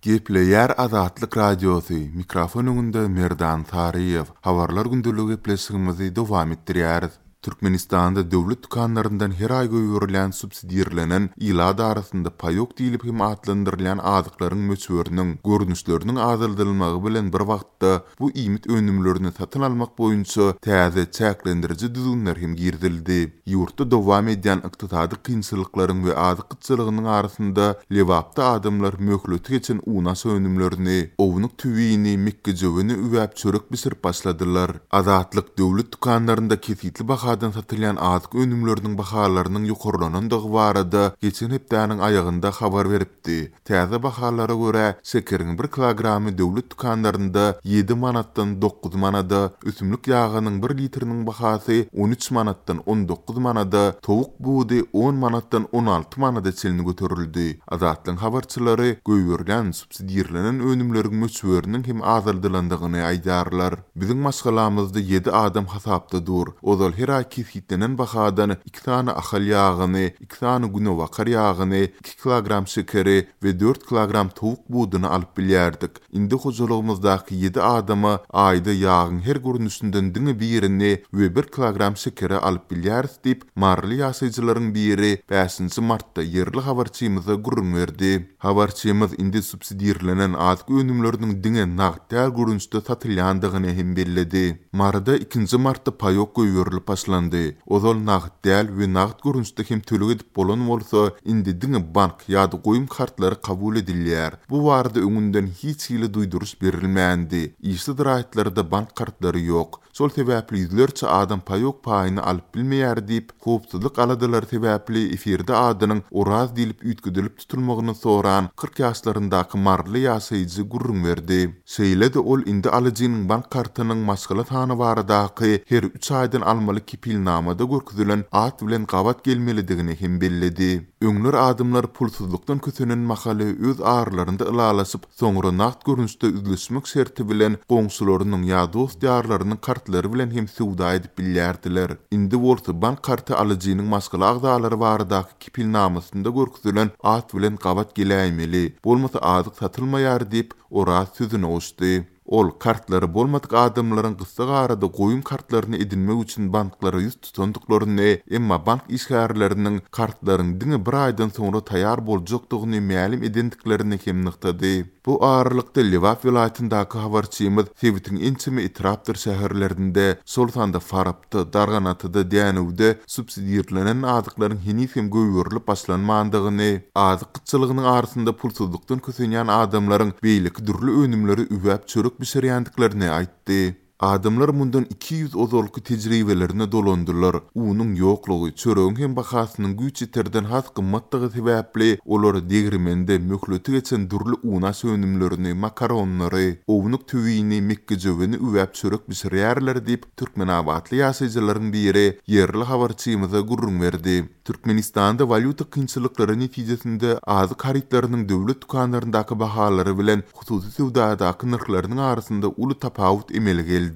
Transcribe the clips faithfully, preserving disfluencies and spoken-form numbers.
Gepleýär Azatlyk Radiosy, mikrofon öňünde Merdan Saryýew. Habarlar gündeligi gepleşigimizi dowam etdirýäris. Türkmenistanda döwlet dükanlaryndan her aý goýberilýän subsidirlenen, ilat arasynda paýok diýlip hem atlandyrylýan azyklaryň möçberiniň, görnüşleriniň azaldylmagy bilen bir wagtda bu iýmit önümlerini satyn almak boýunça täze çäklendiriji düzgünler hem girizildi. Ýurtda dowam edýän ykdysady kynçylyklaryň we azyk gytçylygynyň arasynda Lebapda adamlar möhleti geçen unaş önümlerini, ownuk tüwini, mekgejöweni üwäp çörek bişirip başladylar. Azatlyk döwlet dükanlarynda kesgitli bahadan satylýan azyk önümleriniň bahalarynyň ýokarlanandygy barada geçen hepdäniň aýagynda habar beripdi. Täze bahalara görä, şekeriň bir kilogramy döwlet dükanlarynda ýedi manatdan dokuz manada, ösümlik ýagynyň bir litriniň bahasy on üç manatdan on dokuz manada, towuk budy on manatdan on alty manada çenli göterildi. Azatlygyň habarçylary goýberilýän subsidirlenen önümleriň möçberiniň hem azaldylandygyny aýdýarlar. Biziň maşgalamyzda ýedi adam hasapda dur. Ozal her aý kesgitlenen bahadan iki sany ahal ýagyny, iki sany günebakar ýagyny, iki kilogram şekeri we dört kilogram towuk buduny alyp bilýärdik. Indi hojalygymyzdaky ýedi adama aýda ýagyň her görnüşinden diňe birini we bir kilogram şekeri alyp bilýäris diýip, maryly ýaşaýjylaryň biri bäşinji martda ýerli habarçymyza gürrüň berdi. Habarçymyz indi subsidirlenen azyk önümleriniň diňe nagt däl görnüşde satylýandygyny hem belledi. Maryda ikinji martda paýok goýberilip başlandy. Ozal nagt däl we nagt görnüşde hem töleg edip bolan bolsa, indi diňe bank ýa-da goýum kartlary kabul edilýär. Bu barada öňünden hiç hili duýduryş berilmändi. Işsiz raýatlarda bank kartlary ýok. Şol sebäpli ýüzlerçe adam paýok paýyny alyp bilmeýär diýip, howpsuzlyk aladalary sebäpli efirde adynyň Oraz diýlip üýtgedilip tutulmagyny soran kyrk ýaşlaryndaky maryly ýaşaýjy gürrüň berdi. Şeýle-de ol indi alyjynyň bank kartynyň maşgala sany baradaky her üç aýdan almaly kepilnamada görkezilen at bilen gabat gelmelidigini hem belledi. Öňler adamlar pulsuzlykdan kösenen mahaly öz aralarynda ylalaşyp, soňra nagt görnüşde üzlüşmek şerti bilen goňşularynyň ýa dost-ýarlarynyň kartlary bilen hem söwda edip bilýärdiler. Indi bolsa bank karty alyjynyň maşgala agzalary baradaky kepilnamasynda görkezilen at bilen gabat geläýmeli, bolmasa azyk satylmaýar diýip, Oraz sözüni goşdy. Ol kartlary bolmadyk adamlaryň gysga arada goýum kartlaryny edinmek üçin banklara ýüz tutandyklaryny, emma bank işgärleriniň kartlaryň diňe bir aýdan soňra taýýar boljakdygyny mälim edendiklerini hem nygtady. Bu aralykda Lebap welaýatyndaky habarçymyz sebitiň ençeme etrapdyr şäherlerinde, şol sanda Farapda, Darganatada, Dänewde subsidirlenen azyklaryň heniz hem goýberilip başlanmandygyny, azyk gytçylygynyň arasynda pulsuzlykdan kösenýän adamlaryň beýleki dürli önümleri üwäp çörek bişirýändiklerini aýtdy. Adamlar mundan iki ýüz ozalky tejribelerine dolandylar. Unuň ýoklugy, çöregiň hem bahasynyň güýç ýeterden has gymmatdygy sebäpli olar degirmende möhleti geçen dürli unaş önümlerini, makaronlary, ownuk tüwini, mekgejöweni üwäp çörek bişirýärler diýip, türkmenabatly ýaşaýjylaryň biri ýerli habarçymyza gürrüň berdi. Türkmenistanda walýuta kynçylyklary netijesinde azyk harytlarynyň döwlet dükanlaryndaky bahalary bilen hususy söwdadaky nyrhlarynyň arasynda uly tapawut emele geldi.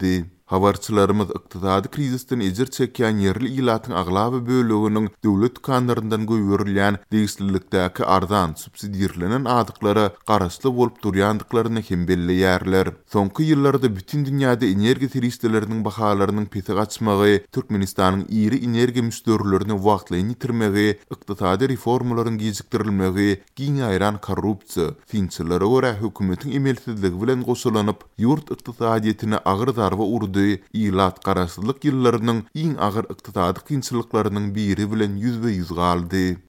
Habarçylarymyz ykdysady krizisden ejir çekýän ýerli ilatyň aglaba böleginiň döwlet dükanlaryndan goýberilýän degişlilikdäki arzan, subsidirlenen azyklara garaşly bolup durýandyklaryny hem belleýärler. Soňky ýyllarda bütün dünýäde energiýa serişdeleriniň bahalarynyň pese gaçmagy, Türkmenistanyň iri energiýa müşderilerini wagtlaýyn ýitirmegi, ykdysady reformalaryň gijikdirilmegi, giň ýaýran korrupsiýa, synçylara görä hökümetiň emelsizligi bilen goşulanyp, ýurt ykdysadyýetine agyr zarba urdy, ilat garaşsyzlyk ýyllarynyň iň agyr ykdysady kynçylyklarynyň biri bilen ýüzbe-ýüz galdy.